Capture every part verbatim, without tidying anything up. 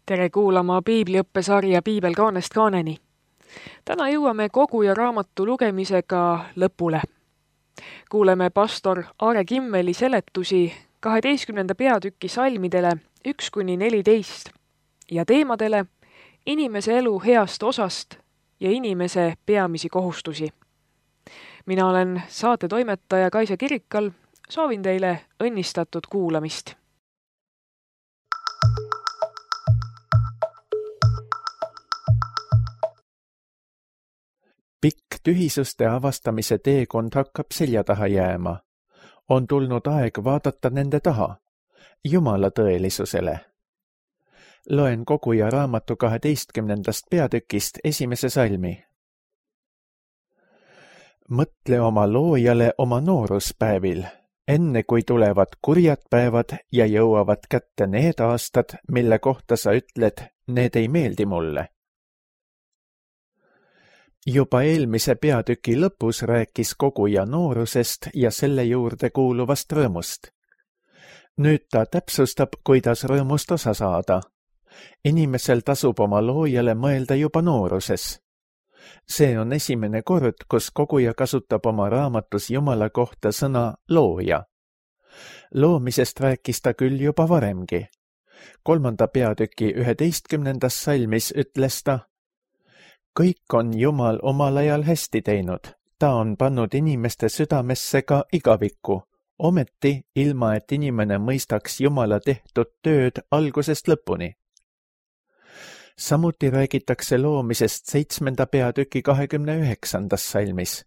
Tere kuulama piibliõppesarja Piibel kaanest kaaneni. Täna jõuame kogu ja raamatu lugemisega lõpule. Kuuleme pastor Aare Kimmeli seletusi kaheteistkümnenda peatüki salmidele üks kuni neliteist ja teemadele inimese elu heast osast ja inimese peamisi kohustusi. Mina olen saatetoimetaja Kaisa Kirikal, soovin teile õnnistatud kuulamist. Pikk tühisuste avastamise teekond hakkab selja taha jääma. On tulnud aeg vaadata nende taha, Jumala tõelisusele. Loen kogu ja raamatu kaheteistkümnendast peatükist esimese salmi. Mõtle oma loojale oma nooruspäevil, enne kui tulevad kurjad päevad ja jõuavad kätte need aastad, mille kohta sa ütled, need ei meeldi mulle. Juba eelmise peatüki lõpus rääkis koguja noorusest ja selle juurde kuuluvast rõõmust. Nüüd ta täpsustab, kuidas rõõmust osa saada. Inimesel tasub oma loojale mõelda juba nooruses. See on esimene kord, kus koguja kasutab oma raamatus Jumala kohta sõna looja. Loomisest rääkis ta küll juba varemgi. Kolmanda peatüki üheteistkümnendas salmis ütles ta: kõik on Jumal omal ajal hästi teinud, ta on pannud inimeste südamesse ka igavikku, ometi ilma, et inimene mõistaks Jumala tehtud tööd algusest lõpuni. Samuti räägitakse loomisest seitsmenda peatüki kahekümne üheksandas salmis.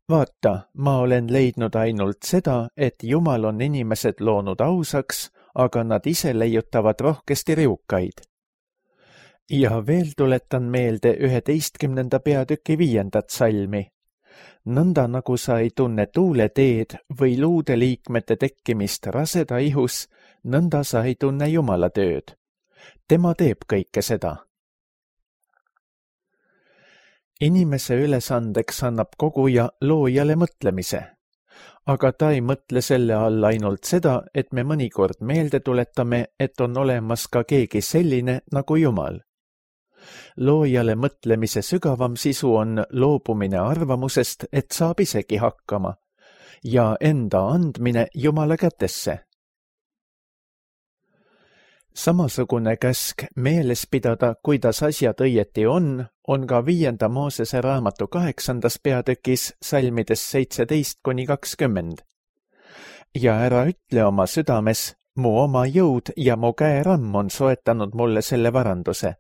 Vaata, ma olen leidnud ainult seda, et Jumal on inimesed loonud ausaks, aga nad ise leiutavad rohkesti riukaid. Ja veel tuletan meelde üheteistkümnenda peatüki viiendat salmi. Nõnda nagu sa ei tunne tuuleteed või luude liikmete tekkimist raseda ihus, nõnda sa ei tunne Jumala tööd. Tema teeb kõike seda. Inimese ülesandeks annab koguja loojale mõtlemise. Aga ta ei mõtle selle all ainult seda, et me mõnikord meelde tuletame, et on olemas ka keegi selline nagu Jumal. Loojale mõtlemise sügavam sisu on loobumine arvamusest, et saab isegi hakkama, ja enda andmine Jumala kätesse. Samasugune käsk meeles pidada, kuidas asjad õieti on, on ka viienda Moosese raamatu kaheksandas peatükis salmides seitseteist kuni kakskümmend. Ja ära ütle oma südames, mu oma jõud ja mu käeramm on soetanud mulle selle varanduse.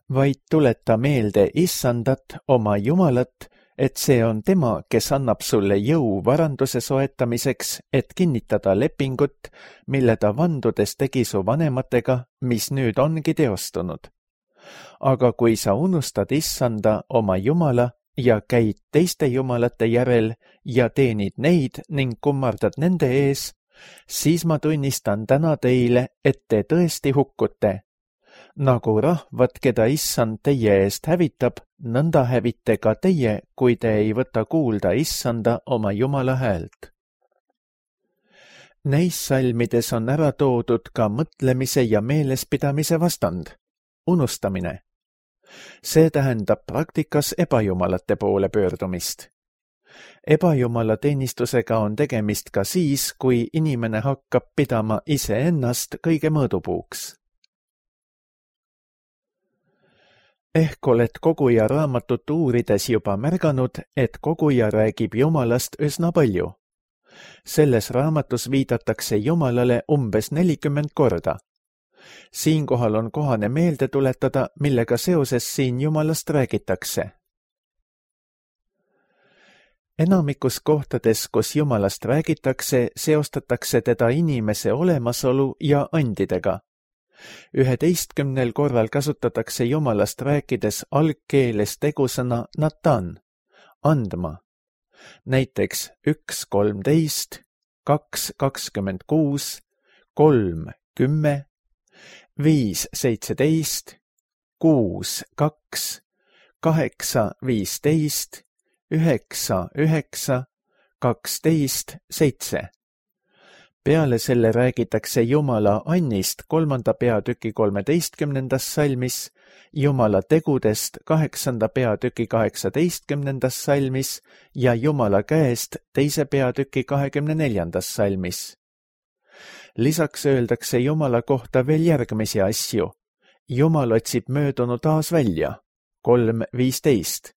Vaid tuleta meelde Issandat, oma Jumalat, et see on tema, kes annab sulle jõu varanduse soetamiseks, et kinnitada lepingut, mille ta vandudes tegi su vanematega, mis nüüd ongi teostunud. Aga kui sa unustad Issanda, oma Jumala, ja käid teiste jumalate järel ja teenid neid ning kummardad nende ees, siis ma tunnistan täna teile, et te tõesti hukkute. Nagu rahvad, keda Issand teie eest hävitab, nõnda hävite ka teie, kui te ei võta kuulda Issanda oma Jumala häält. Neis salmides on ära toodud ka mõtlemise ja meelespidamise vastand, unustamine. See tähendab praktikas ebajumalate poole pöördumist. Ebajumala teenistusega on tegemist ka siis, kui inimene hakkab pidama iseennast kõige mõõdupuuks. Ehk oled koguja raamatut uurides juba märganud, et koguja räägib Jumalast üsna palju. Selles raamatus viidatakse Jumalale umbes nelikümmend korda. Siinkohal on kohane meelde tuletada, millega seoses siin Jumalast räägitakse. Enamikus kohtades, kus Jumalast räägitakse, seostatakse teda inimese olemasolu ja andidega. Üheteistkümnel korral kasutatakse Jumalast rääkides algkeeles tegusõna natan, andma. Näiteks üks kolmteist, kaks kakskümmend kuus, kolm kümme, viis seitseteist, kuus kaks, kaheksa viisteist, üheksa üheksa, kaksteist seitse. peale selle räägitakse Jumala annist kolmanda peatüki kolmeteistkümnendas salmis, Jumala tegudest kaheksanda peatüki kaheksateistkümnendas salmis ja Jumala käest teise peatüki kahekümne neljandas salmis. Lisaks öeldakse Jumala kohta veel järgmisi asju. Jumal otsib möödunu taas välja, kolm viisteist.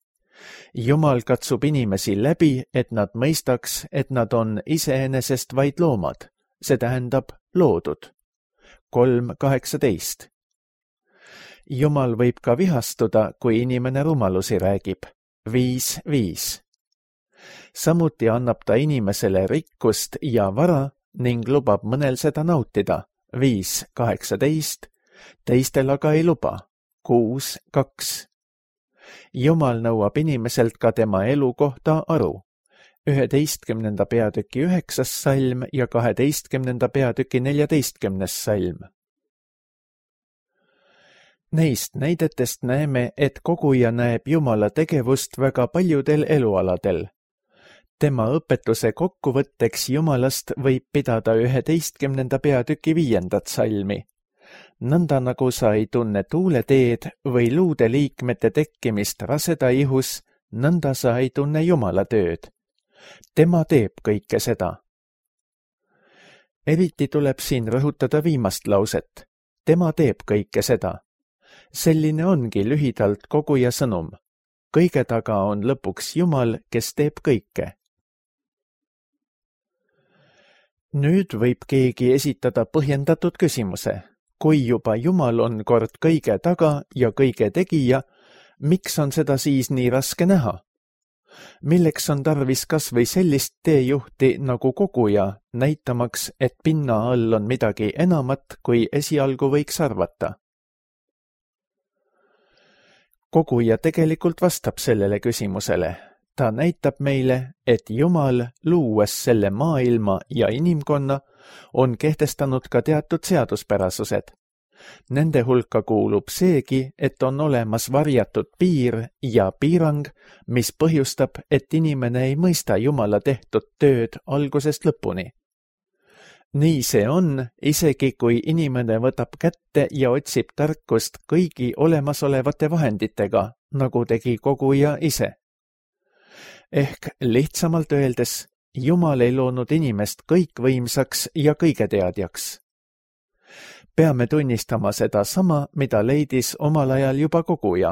Jumal katsub inimesi läbi, et nad mõistaks, et nad on iseenesest vaid loomad, see tähendab loodud, kolm kaheksateist. Jumal võib ka vihastuda, kui inimene rumalusi räägib, viis viis. Samuti annab ta inimesele rikkust ja vara ning lubab mõnel seda nautida, viis kaheksateist, teistel aga ei luba, kuus kaks. Jumal nõuab inimeselt ka tema elu kohta aru, üheteistkümnenda peatüki üheksas salm ja kaheteistkümnenda peatüki neljateistkümnes salm. Neist näidetest näeme, et koguja näeb Jumala tegevust väga paljudel elualadel. Tema õpetuse kokkuvõtteks Jumalast võib pidada üheteistkümnenda peatüki viiendat salmi. Nõnda nagu sa ei tunne tuuleteed või luude liikmete tekkimist raseda ihus, nõnda sa ei tunne Jumala tööd. Tema teeb kõike seda. Eriti tuleb siin rõhutada viimast lauset. Tema teeb kõike seda. Selline ongi lühidalt koguja sõnum. Kõige taga on lõpuks Jumal, kes teeb kõike. Nüüd võib keegi esitada põhjendatud küsimuse. Kui juba Jumal on kord kõige taga ja kõige tegija, miks on seda siis nii raske näha? Milleks on tarvis kas või sellist teejuhti nagu koguja, näitamaks, et pinna all on midagi enamat, kui esialgu võiks arvata? Koguja tegelikult vastab sellele küsimusele. Ta näitab meile, et Jumal, luues selle maailma ja inimkonna, on kehtestanud ka teatud seaduspärasused. Nende hulka kuulub seegi, et on olemas varjatud piir ja piirang, mis põhjustab, et inimene ei mõista Jumala tehtud tööd algusest lõpuni. Nii see on, isegi kui inimene võtab kätte ja otsib tarkust kõigi olemasolevate vahenditega, nagu tegi koguja ise. Ehk lihtsamalt öeldes, Jumal ei loonud inimest kõikvõimsaks ja kõigeteadjaks. Peame tunnistama seda sama, mida leidis omal ajal juba koguja.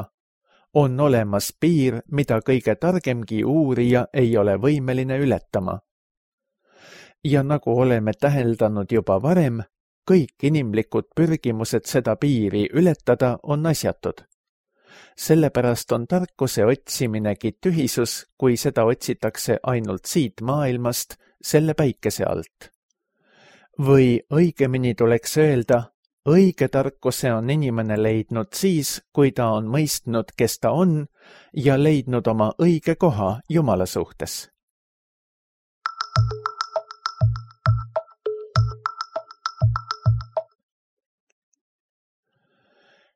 On olemas piir, mida kõige targemgi uurija ei ole võimeline ületama. Ja nagu oleme täheldanud juba varem, kõik inimlikud pürgimused seda piiri ületada on asjatud. Sellepärast on tarkuse otsiminegi tühisus, kui seda otsitakse ainult siit maailmast, selle päikese alt. Või õigemini tuleks öelda, õige tarkuse on inimene leidnud siis, kui ta on mõistnud, kes ta on, ja leidnud oma õige koha Jumala suhtes.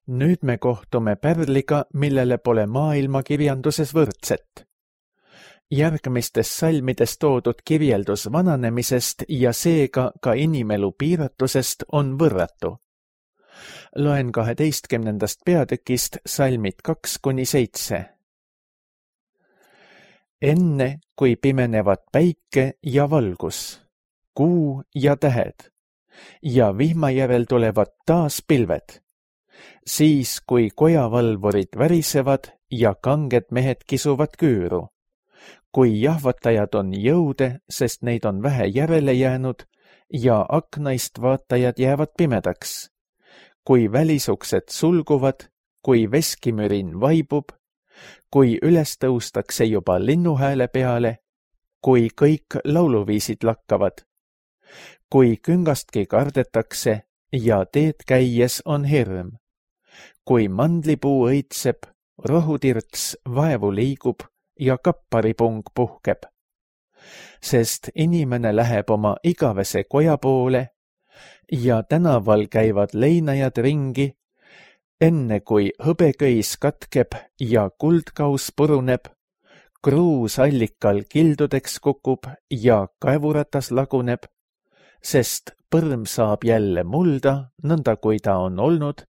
Nüüd me kohtume pärliga, millele pole maailmakirjanduses võrdset. Järgmistes salmides toodud kirjeldus vananemisest ja seega ka inimelu piiratusest on võrratu. Loen kaheteistkümnendast peatükist salmid kaks kuni seitse. Enne, kui pimenevad päike ja valgus, kuu ja tähed, ja vihma järel tulevad taas pilved, siis kui kojavalvurid värisevad ja kanged mehed kisuvad küüru, kui jahvatajad on jõude, sest neid on vähe järele jäänud, ja aknaist vaatajad jäävad pimedaks, kui välisuksed sulguvad, kui veskimürin vaibub, kui üles tõustakse juba linnuhääle peale, kui kõik lauluviisid lakkavad, kui küngastki kardetakse ja teed käies on hirm, kui mandlipuu õitseb, rohutirts vaevu liigub ja kapparipung puhkeb. Sest inimene läheb oma igavese koja poole ja tänaval käivad leinajad ringi, enne kui hõbeköis katkeb ja kuldkaus puruneb, kruus allikal kildudeks kukub ja kaevuratas laguneb, sest põrm saab jälle mulda, nõnda kui ta on olnud,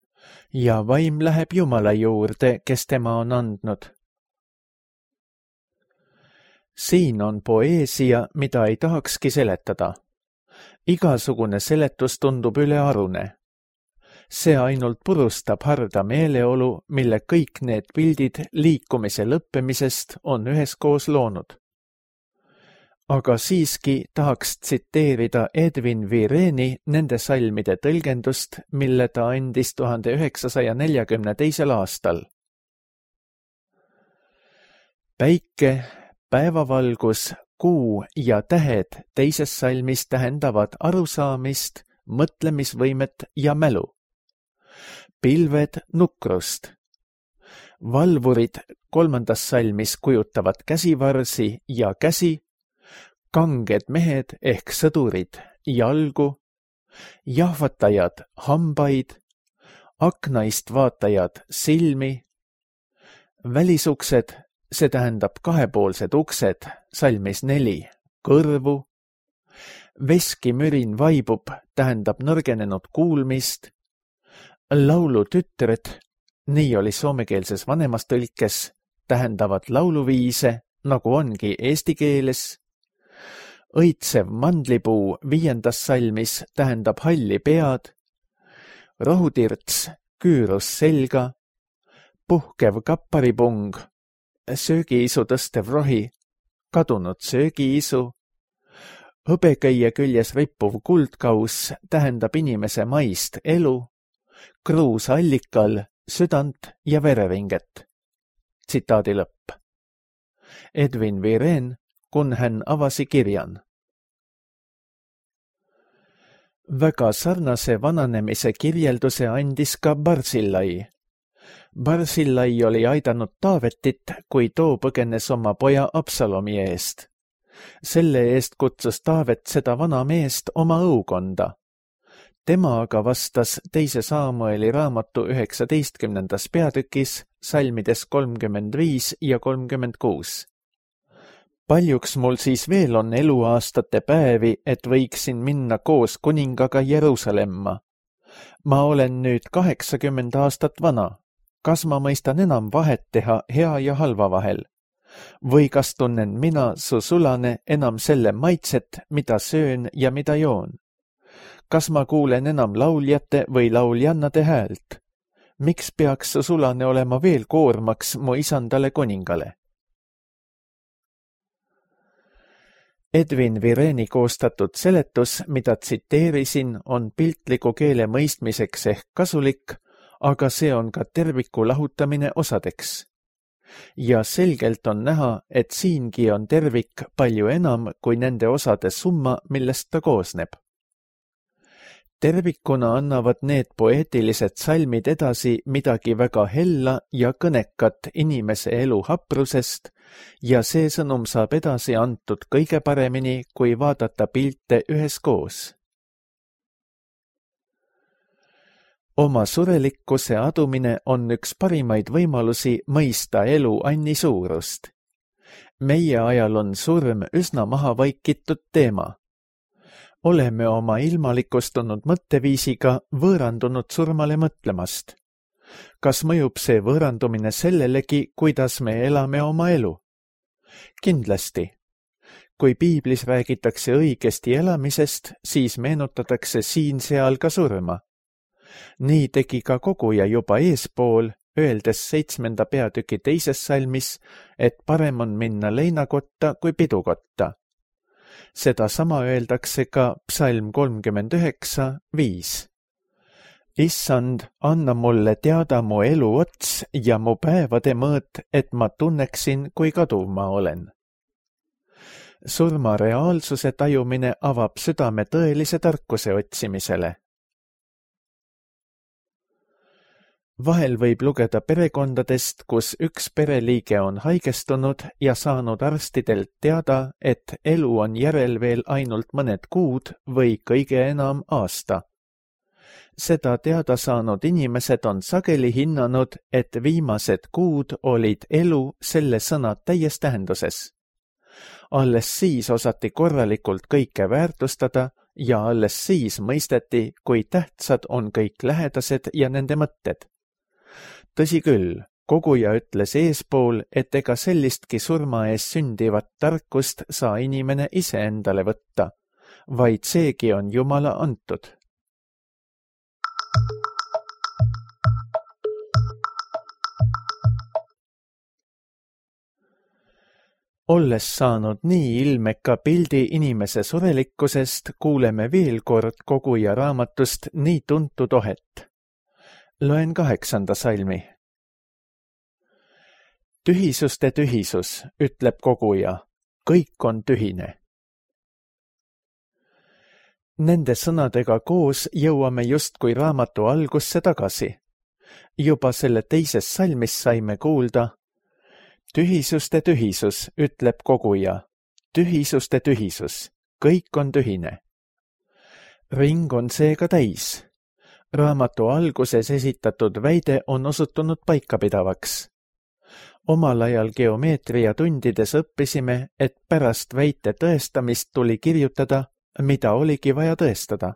ja vaim läheb Jumala juurde, kes tema on andnud. Siin on poeesia, mida ei tahakski seletada. Igasugune seletus tundub ülearune. See ainult purustab harda meeleolu, mille kõik need pildid liikumise lõppemisest on üheskoos loonud. Aga siiski tahaks tsiteerida Edwin Vireni nende salmide tõlgendust, mille ta andis tuhande üheksasaja neljakümne teisel aastal. Päike, päevavalgus, kuu ja tähed teises salmis tähendavad arusaamist, mõtlemisvõimet ja mälu. Pilved nukrust. Valvurid kolmandas salmis kujutavad käsivarsi ja käsi, kanged mehed ehk sõdurid jalgu, jahvatajad hambaid, aknaist vaatajad silmi, välisuksed, see tähendab kahepoolsed uksed, salmis neli, kõrvu, veskimürin vaibub, tähendab nõrgenenud kuulmist, laulutütred, nii oli soomekeelses vanemas tõlkes, tähendavad lauluviise, nagu ongi eesti keeles. Õitsev mandlipuu viiendas salmis tähendab halli pead, rohutirts, küürus selga, puhkev kapparipung, söögiisu tõstev rohi, kadunud söögiisu, hõbeköie küljes rippuv kuldkaus tähendab inimese maist elu, kruus allikal, südant ja vereringet. Tsitaadi lõpp. Edwin Viren, kun hän avasi kirjan. Väga sarnase vananemise kirjelduse andis ka Barzillai. Barzillai oli aidanud Taavetit, kui too põgenes oma poja Absalomi eest. Selle eest kutsus Taavet seda vana meest oma õukonda. Tema aga vastas teise Saamueli raamatu üheksateistkümnendas peatükis salmides kolmkümmend viis ja kolmkümmend kuus. Paljuks mul siis veel on eluaastate päevi, et võiksin minna koos kuningaga Jeruusalemma. Ma olen nüüd kaheksakümmend aastat vana. Kas ma mõistan enam vahet teha hea ja halva vahel? Või kas tunnen mina, su sulane, enam selle maitset, mida söön ja mida joon? Kas ma kuulen enam lauljate või lauljannade häält? Miks peaks su sulane olema veel koormaks mu isandale kuningale? Edwin Vireni koostatud seletus, mida tsiteerisin, on piltliku keele mõistmiseks ehk kasulik, aga see on ka terviku lahutamine osadeks. Ja selgelt on näha, et siingi on tervik palju enam kui nende osade summa, millest ta koosneb. Tervikuna annavad need poeetilised salmid edasi midagi väga hella ja kõnekat inimese elu haprusest ja see sõnum saab edasi antud kõige paremini, kui vaadata pilte üheskoos. Oma surelikkuse adumine on üks parimaid võimalusi mõista elu anni suurust. Meie ajal on surm üsna maha vaikitud teema. Oleme oma ilmalikustunud mõtteviisiga võõrandunud surmale mõtlemast. Kas mõjub see võõrandumine sellelegi, kuidas me elame oma elu? Kindlasti. Kui piiblis räägitakse õigesti elamisest, siis meenutatakse siin-seal ka surma. Nii tegi ka koguja juba eespool, öeldes seitsmenda peatüki teises salmis, et parem on minna leinakotta kui pidukotta. Seda sama öeldakse ka psalm kolmkümmend üheksa, viis. Issand, anna mulle teada mu elu ots ja mu päevade mõõt, et ma tunneksin, kui kaduv ma olen. Surma reaalsuse tajumine avab südame tõelise tarkuse otsimisele. Vahel võib lugeda perekondadest, kus üks pereliige on haigestunud ja saanud arstidelt teada, et elu on järel veel ainult mõned kuud või kõige enam aasta. Seda teada saanud inimesed on sageli hinnanud, et viimased kuud olid elu selle sõna täies tähenduses. Alles siis osati korralikult kõike väärtustada ja alles siis mõisteti, kui tähtsad on kõik lähedased ja nende mõtted. Tõsi küll, koguja ütles eespool, et ega sellistki surma ees sündivat tarkust saa inimene ise endale võtta, vaid seegi on Jumala antud. Olles saanud nii ilmeka pildi inimese surelikkusest, kuuleme veel kord koguja raamatust nii tuntud ohet. Loen kaheksanda salmi. Tühisuste tühisus, ütleb koguja, kõik on tühine. Nende sõnadega koos jõuame justkui raamatu algusse tagasi. Juba selle teises salmis saime kuulda, tühisuste tühisus, ütleb koguja, tühisuste tühisus, kõik on tühine. Ring on seega täis. Raamatu alguses esitatud väide on osutunud paikapidavaks. Omal ajal geomeetria tundides õppisime, et pärast väite tõestamist tuli kirjutada, mida oligi vaja tõestada.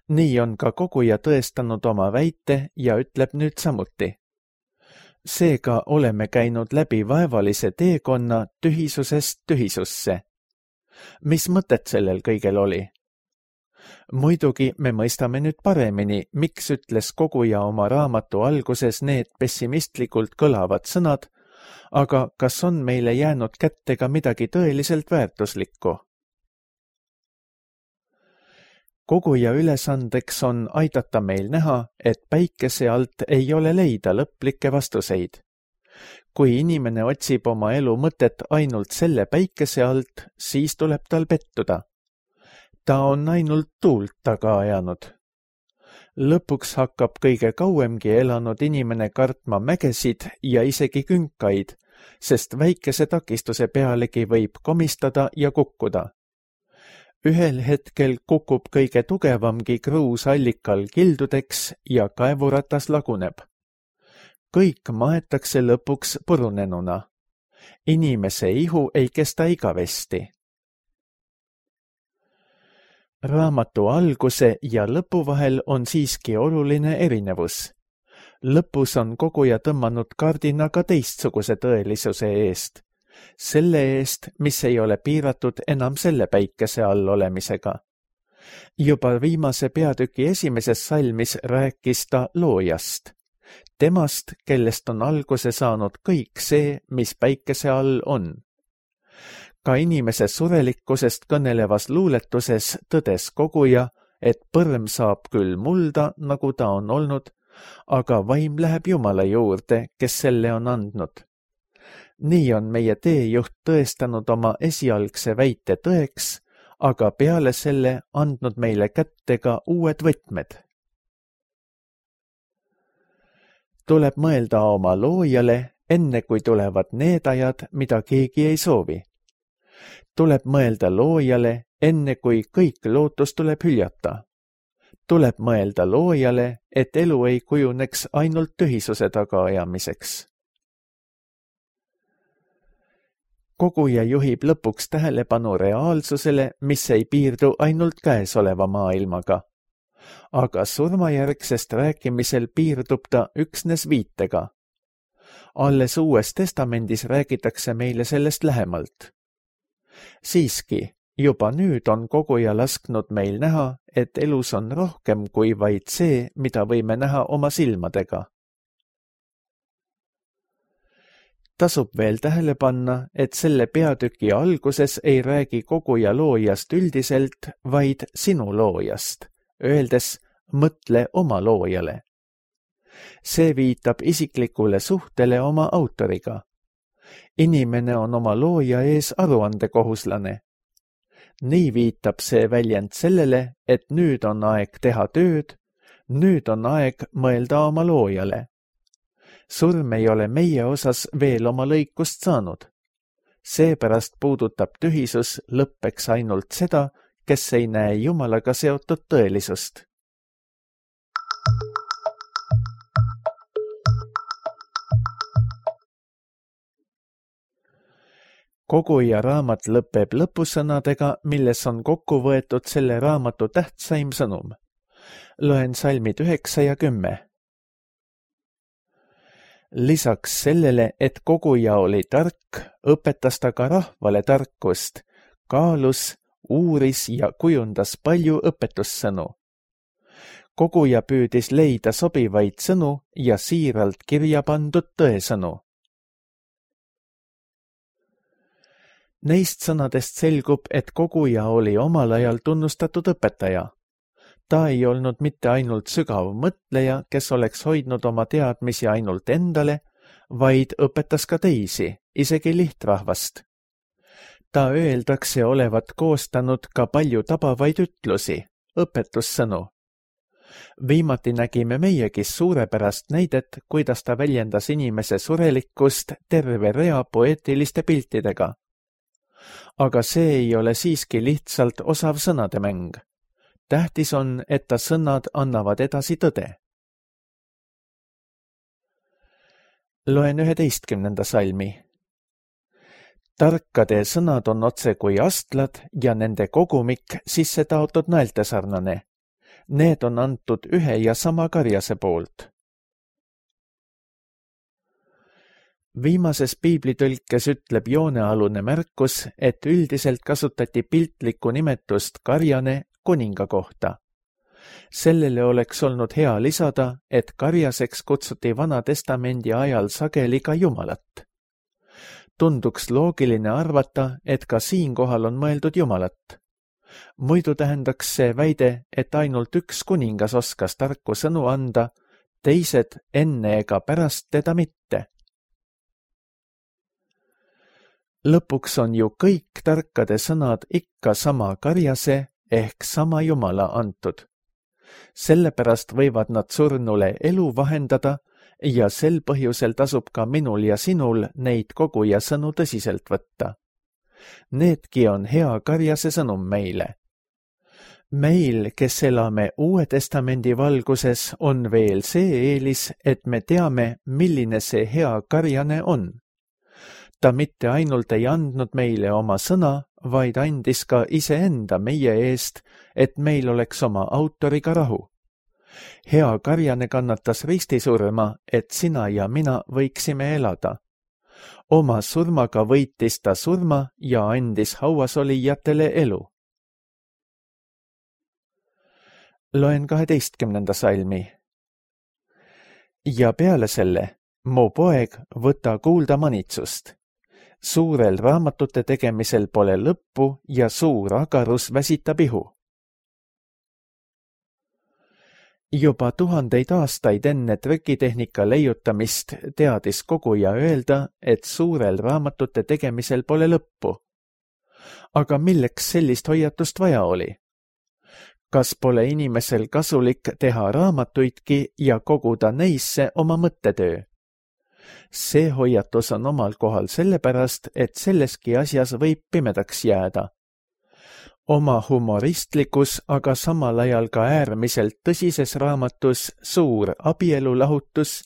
Nii on ka koguja tõestanud oma väite ja ütleb nüüd samuti. Seega oleme käinud läbi vaevalise teekonna tühisusest tühisusse. Mis mõtet sellel kõigel oli? Muidugi me mõistame nüüd paremini, miks ütles koguja oma raamatu alguses need pessimistlikult kõlavad sõnad, aga kas on meile jäänud kätte ka midagi tõeliselt väärtuslikku? Koguja ülesandeks on aidata meil näha, et päikese alt ei ole leida lõplikke vastuseid. Kui inimene otsib oma elu mõtet ainult selle päikese alt, siis tuleb tal pettuda. Ta on ainult tuult taga ajanud. Lõpuks hakkab kõige kauemgi elanud inimene kartma mägesid ja isegi künkaid, sest väikese takistuse pealegi võib komistada ja kukkuda. Ühel hetkel kukub kõige tugevamgi kruus allikal kildudeks ja kaevuratas laguneb. Kõik maetakse lõpuks purunenuna. Inimese ihu ei kesta igavesti. Raamatu alguse ja lõpu vahel on siiski oluline erinevus. Lõpus on koguja tõmmanud kardina ka teistsuguse tõelisuse eest. Selle eest, mis ei ole piiratud enam selle päikese all olemisega. Juba viimase peatüki esimeses salmis rääkis ta loojast. Temast, kellest on alguse saanud kõik see, mis päikese all on. Ka inimese surelikkusest kõnelevas luuletuses tõdes koguja, et põrm saab küll mulda, nagu ta on olnud, aga vaim läheb Jumala juurde, kes selle on andnud. Nii on meie teejuht tõestanud oma esialgse väite tõeks, aga peale selle andnud meile kätte ka uued võtmed. Tuleb mõelda oma loojale, enne kui tulevad need ajad, mida keegi ei soovi. Tuleb mõelda loojale, enne kui kõik lootus tuleb hüljata. Tuleb mõelda loojale, et elu ei kujuneks ainult tühisuse tagaajamiseks. Koguja juhib lõpuks tähelepanu reaalsusele, mis ei piirdu ainult käesoleva maailmaga. Aga surmajärgsest rääkimisel piirdub ta üksnes viitega. Alles Uues Testamendis räägitakse meile sellest lähemalt. Siiski, juba nüüd on koguja lasknud meil näha, et elus on rohkem kui vaid see, mida võime näha oma silmadega. Tasub veel tähele panna, et selle peatüki alguses ei räägi koguja loojast üldiselt, vaid sinu loojast, öeldes mõtle oma loojale. See viitab isiklikule suhtele oma autoriga. Inimene on oma looja ees aruandekohuslane. Nii viitab see väljend sellele, et nüüd on aeg teha tööd, nüüd on aeg mõelda oma loojale. Surm ei ole meie osas veel oma lõikust saanud. Seepärast puudutab tühisus lõppeks ainult seda, kes ei näe Jumalaga seotud tõelisust. koguja raamat lõpeb lõpusõnadega, milles on kokku võetud selle raamatu tähtsaim sõnum. Loen salmid üheksa ja kümme. Lisaks sellele, et koguja oli tark, õpetas ta ka rahvale tarkust, kaalus, uuris ja kujundas palju õpetussõnu. Koguja püüdis leida sobivaid sõnu ja siiralt kirja pandud tõesõnu. Neist sõnadest selgub, et koguja oli omal ajal tunnustatud õpetaja. Ta ei olnud mitte ainult sügav mõtleja, kes oleks hoidnud oma teadmisi ainult endale, vaid õpetas ka teisi, isegi lihtrahvast. Ta öeldakse olevat koostanud ka palju tabavaid ütlusi, õpetussõnu. Viimati nägime meiegi suurepärast näidet, kuidas ta väljendas inimese surelikkust terve rea poeetiliste piltidega. Aga see ei ole siiski lihtsalt osav sõnademäng. Tähtis on, et ta sõnad annavad edasi tõde. Loen üheteistkümnenda salmi. Tarkade sõnad on otse kui astlad ja nende kogumik sisse taotud naeltesarnane. Need on antud ühe ja sama karjase poolt. Viimases piiblitõlkes ütleb joonealune märkus, et üldiselt kasutati piltlikku nimetust karjane kuninga kohta. Sellele oleks olnud hea lisada, et karjaseks kutsuti Vana Testamendi ajal sageli ka Jumalat. Tunduks loogiline arvata, et ka siinkohal on mõeldud Jumalat. Muidu tähendaks see väide, et ainult üks kuningas oskas tarku sõnu anda, teised enne ega pärast teda mitte. Lõpuks on ju kõik tarkade sõnad ikka sama karjase ehk sama Jumala antud. Sellepärast võivad nad surnule elu vahendada ja sel põhjusel tasub ka minul ja sinul neid koguja sõnu tõsiselt võtta. Needki on hea karjase sõnum meile. Meil, kes elame Uue Testamendi valguses, on veel see eelis, et me teame, milline see hea karjane on. Ta mitte ainult ei andnud meile oma sõna, vaid andis ka iseenda meie eest, et meil oleks oma autoriga rahu. Hea karjane kannatas ristisurma, et sina ja mina võiksime elada. Oma surmaga võitis ta surma ja andis hauasolijatele elu. Loen kaheteistkümnenda salmi. Ja peale selle, mu poeg, võta kuulda manitsust. Suurel raamatute tegemisel pole lõppu ja suur agarus väsitab ihu. Juba tuhandeid aastaid enne trükitehnika leiutamist teadis koguja öelda, et suurel raamatute tegemisel pole lõppu. Aga milleks sellist hoiatust vaja oli? Kas pole inimesel kasulik teha raamatuidki ja koguda neisse oma mõttetöö? See hoiatus on omal kohal sellepärast, et selleski asjas võib pimedaks jääda. Oma humoristlikus, aga samal ajal ka äärmiselt tõsises raamatus Suur abielulahutus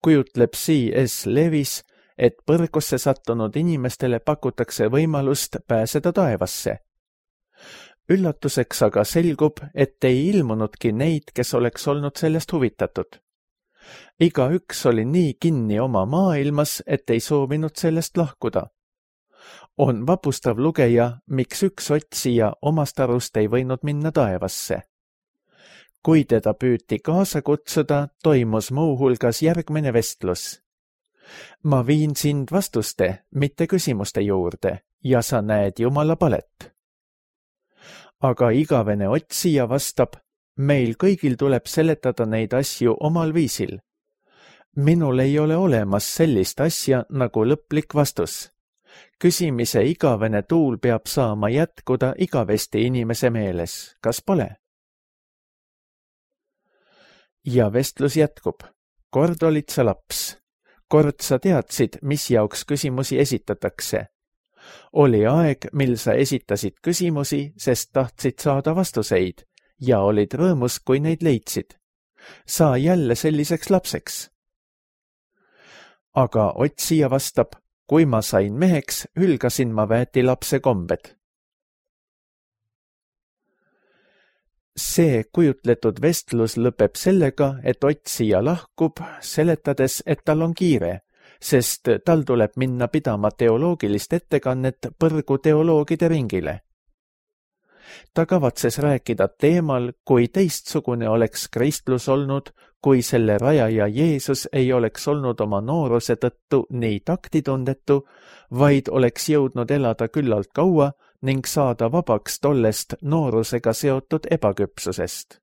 kujutleb C S Lewis, et põrgusse sattunud inimestele pakutakse võimalust pääseda taevasse. Üllatuseks aga selgub, et ei ilmunudki neid, kes oleks olnud sellest huvitatud. Iga üks oli nii kinni oma maailmas, et ei soovinud sellest lahkuda. On vapustav lugeja, miks üks otsija omast arust ei võinud minna taevasse. Kui teda püüti kaasa kutsuda, toimus muu hulgas järgmine vestlus. Ma viin sind vastuste, mitte küsimuste juurde, ja sa näed Jumala palet. Aga igavene otsija vastab, meil kõigil tuleb seletada neid asju omal viisil. Minul ei ole olemas sellist asja nagu lõplik vastus. Küsimise igavene tuul peab saama jätkuda igavesti inimese meeles, kas pole? Ja vestlus jätkub. Kord olid sa laps. Kord sa teadsid, mis jaoks küsimusi esitatakse. Oli aeg, mil sa esitasid küsimusi, sest tahtsid saada vastuseid ja olid rõõmus, kui neid leidsid. Saa jälle selliseks lapseks. Aga otsija vastab, kui ma sain meheks, hülgasin ma väetilapse kombed. See kujutletud vestlus lõpeb sellega, et otsija lahkub, seletades, et tal on kiire, sest tal tuleb minna pidama teoloogilist ettekannet põrgu teoloogide ringile. Ta kavatses rääkida teemal, kui teistsugune oleks kristlus olnud, kui selle rajaja Jeesus ei oleks olnud oma nooruse tõttu nii taktitundetu, vaid oleks jõudnud elada küllalt kaua ning saada vabaks tollest noorusega seotud ebaküpsusest.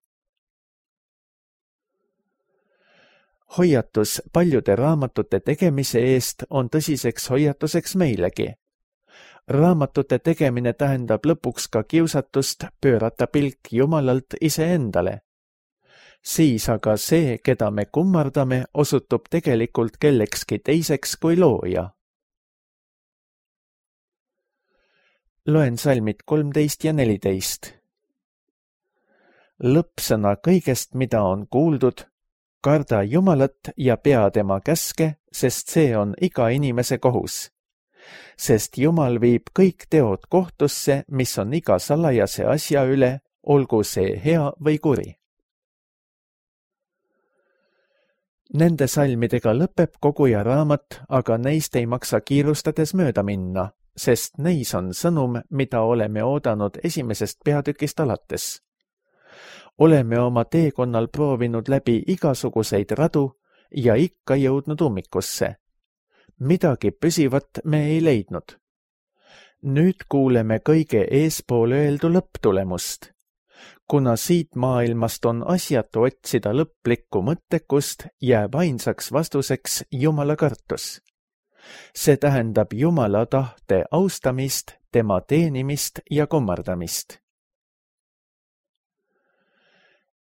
Hoiatus paljude raamatute tegemise eest on tõsiseks hoiatuseks meilegi. Raamatute tegemine tähendab lõpuks ka kiusatust pöörata pilk Jumalalt iseendale. Siis aga see, keda me kummardame, osutub tegelikult kellekski teiseks kui looja. Loen salmid kolmteist ja neliteist. Lõppsõna kõigest, mida on kuuldud, karda Jumalat ja pea tema käske, sest see on iga inimese kohus. Sest Jumal viib kõik teod kohtusse, mis on iga salajase asja üle, olgu see hea või kuri. Nende salmidega lõpeb koguja raamat, aga neist ei maksa kiirustades mööda minna, sest neis on sõnum, mida oleme oodanud esimesest peatükist alates. Oleme oma teekonnal proovinud läbi igasuguseid radu ja ikka jõudnud ummikusse. Midagi püsivat me ei leidnud. Nüüd kuuleme kõige eespool öeldu lõpptulemust. Kuna siit maailmast on asjatu otsida lõplikku mõttekust, jääb ainsaks vastuseks Jumala kartus. See tähendab Jumala tahte austamist, tema teenimist ja kummardamist.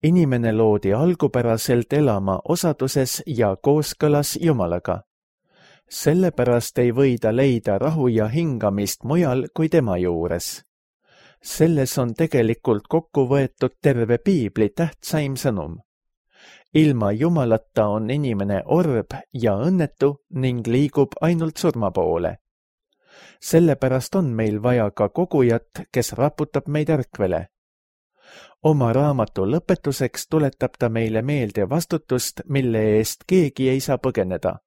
Inimene loodi algupäraselt elama osaduses ja kooskõlas Jumalaga. Sellepärast ei või ta leida rahu ja hingamist mujal kui tema juures. Selles on tegelikult kokku võetud terve piibli tähtsaim sõnum. Ilma Jumalata on inimene orb ja õnnetu ning liigub ainult surma poole. Sellepärast on meil vaja ka kogujat, kes raputab meid ärkvele. Oma raamatu lõpetuseks tuletab ta meile meelde vastutust, mille eest keegi ei saa põgeneda.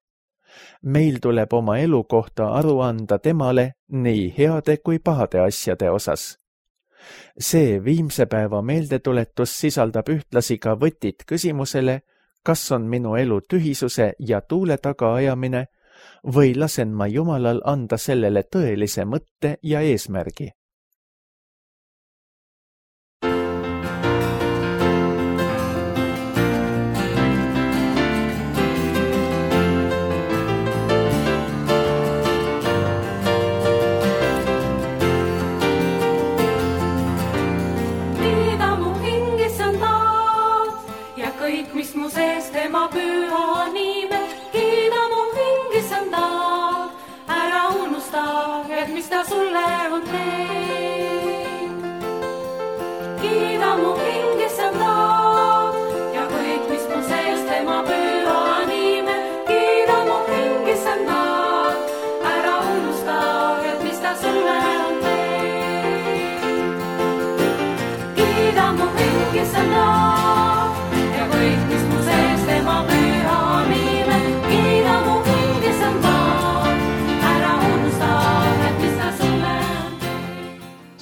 Meil tuleb oma elu kohta aru anda temale nii heade kui pahade asjade osas. See viimse päeva meeldetuletus sisaldab ühtlasi ka võtit küsimusele, kas on minu elu tühisuse ja tuule tagaajamine või lasen ma Jumalal anda sellele tõelise mõtte ja eesmärgi.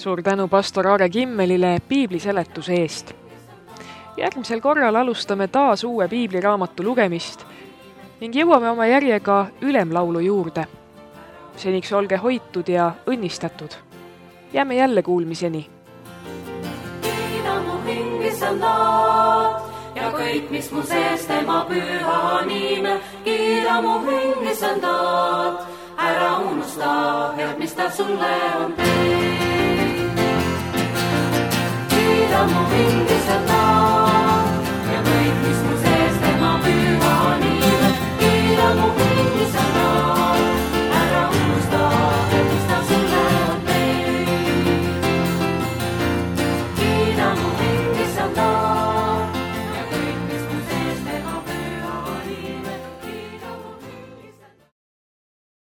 Suur tänu pastor Aare Kimmelile piibli seletuse eest. Järgmisel korral alustame taas uue piibliraamatu lugemist ning jõuame oma järjega ülemlaulu juurde. Seniks olge hoitud ja õnnistatud. Jääme jälle kuulmiseni. Kiida mu hing, issand, ja kõik, mis mu sees tema püha nime. Kiida mu hing, issand, ära unusta, head, mis ta sulle on teinud. Kiida mu hing, issand, ja kõik, mis mu sees tema püha nime. Kiida mu